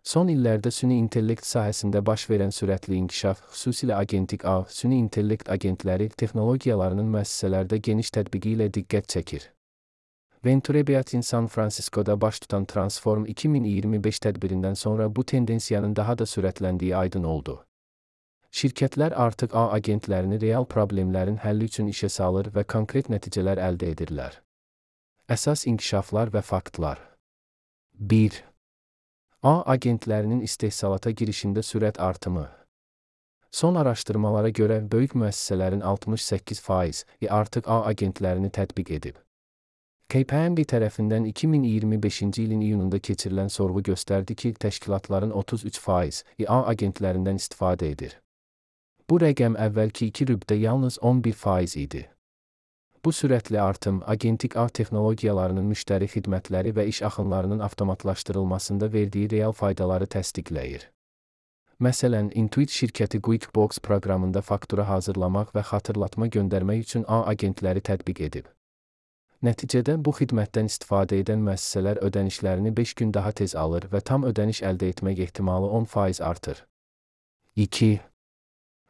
Son illərdə süni intellekt sahəsində baş verən sürətli inkişaf, xüsusilə agentik ağ, süni intellekt agentləri texnologiyalarının müəssisələrdə geniş tətbiqi ilə diqqət çəkir. Venturebiatin San Francisco'da baş tutan Transform 2025 tədbirindən sonra bu tendensiyanın daha da sürətləndiyi aydın oldu. Şirkətlər artıq ağ agentlərini real problemlərin həlli üçün işə salır və konkret nəticələr əldə edirlər. Əsas inkişaflar və faktlar. 1. Ağ agentlərinin istehsalata girişində sürət artımı. Son araşdırmalara görə böyük müəssisələrin 68%-i artıq ağ agentlərini tətbiq edib. KPMG tərəfindən 2025-ci ilin iyununda keçirilən sorğu göstərdi ki, təşkilatların 33%-i ağ agentlərindən istifadə edir. Bu rəqəm əvvəlki 2 rübdə yalnız 11% idi. Bu sürətli artım, agentik ağ texnologiyalarının müştəri xidmətləri və iş axınlarının avtomatlaşdırılmasında verdiyi real faydaları təsdiqləyir. Məsələn, Intuit şirkəti QuickBooks proqramında faktura hazırlamaq və xatırlatma göndərmək üçün ağ agentləri tətbiq edib. Nəticədə bu xidmətdən istifadə edən müəssisələr ödənişlərini 5 gün daha tez alır və tam ödəniş əldə etmək ehtimalı 10% artır. 2.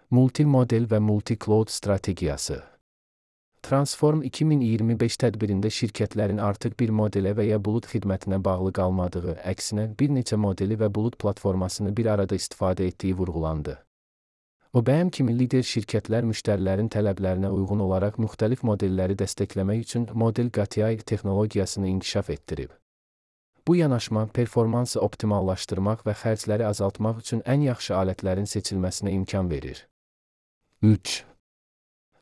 Multimodel və multi-cloud strategiyası. Transform 2025 tədbirində şirkətlərin artıq bir modelə və ya bulut xidmətinə bağlı qalmadığı, əksinə bir neçə modeli və bulut platformasını bir arada istifadə etdiyi vurğulandı. OBM kimi lider şirkətlər müştərilərin tələblərinə uyğun olaraq müxtəlif modelləri dəstəkləmək üçün model QTI texnologiyasını inkişaf etdirib. Bu yanaşma performansı optimallaşdırmaq və xərcləri azaltmaq üçün ən yaxşı alətlərin seçilməsinə imkan verir. 3.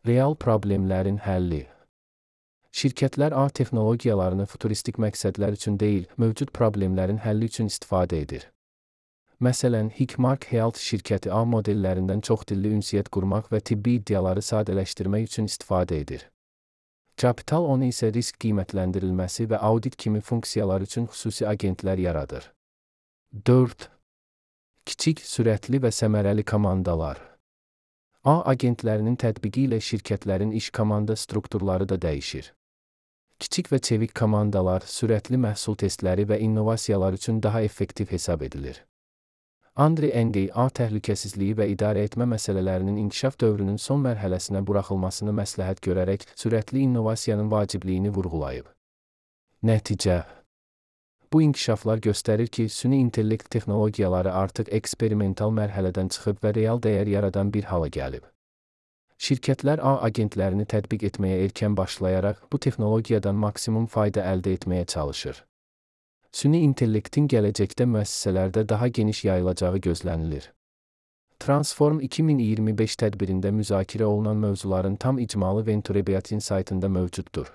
Real problemlərin həlli. Şirkətlər ağ texnologiyalarını futuristik məqsədlər üçün deyil, mövcud problemlərin həlli üçün istifadə edir. Məsələn, Hikmark Health şirkəti ağ modellərindən çoxdilli ünsiyyət qurmaq və tibbi iddiaları sadələşdirmək üçün istifadə edir. Capital One isə risk qiymətləndirilməsi və audit kimi funksiyalar üçün xüsusi agentlər yaradır. 4. Kiçik, sürətli və səmərəli komandalar. Ağ agentlərinin tətbiqi ilə şirkətlərin iş komanda strukturları da dəyişir. Kiçik və çevik komandalar sürətli məhsul testləri və innovasiyalar üçün daha effektiv hesab edilir. Andre Ng ağ təhlükəsizliyi və idarə etmə məsələlərinin inkişaf dövrünün son mərhələsinə buraxılmasını məsləhət görərək sürətli innovasiyanın vacibliyini vurğulayıb. Nəticə. Bu inkişaflar göstərir ki, süni intellekt texnologiyaları artıq eksperimental mərhələdən çıxıb və real dəyər yaradan bir hala gəlib. Şirkətlər ağ agentlərini tətbiq etməyə erkən başlayaraq bu texnologiyadan maksimum fayda əldə etməyə çalışır. Süni intellektin gələcəkdə müəssisələrdə daha geniş yayılacağı gözlənilir. Transform 2025 tədbirində müzakirə olunan mövzuların tam icmalı Venturebiatin saytında mövcuddur.